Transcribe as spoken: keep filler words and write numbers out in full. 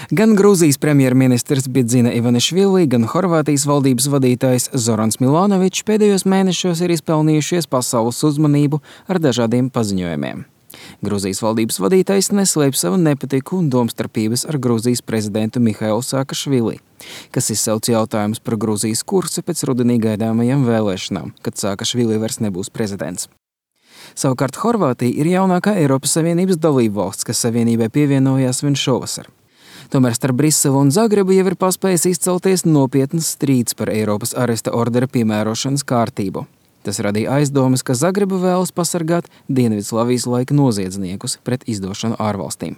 Gan Grūzijas premjerministrs Bidzina Ivanišvili, gan Horvātijas valdības vadītājs Zorans Milanovičs pēdējos mēnešos ir izpelnījušies pasaules uzmanību ar dažādiem paziņojumiem. Grūzijas valdības vadītājs neslēpj savu nepatiku un domstarpības ar Grūzijas prezidentu Mihailu Saakašvili, kas izsauc jautājumus par Grūzijas kursu pēc rudenī gaidāmajām vēlēšanām, kad Saakašvili vairs nebūs prezidents. Savukārt Horvātija ir jaunākā Eiropas Savienības dalībvalsts, kas Savienībai pievienojās vien šovasar. Tomēr starp Briselu un Zagrebu jau ir paspējis izcelties nopietnas strīds par Eiropas aresta ordera piemērošanas kārtību. Tas radīja aizdomas, ka Zagreba vēlas pasargāt Dienvidslavijas laika noziedzniekus pret izdošanu ārvalstīm.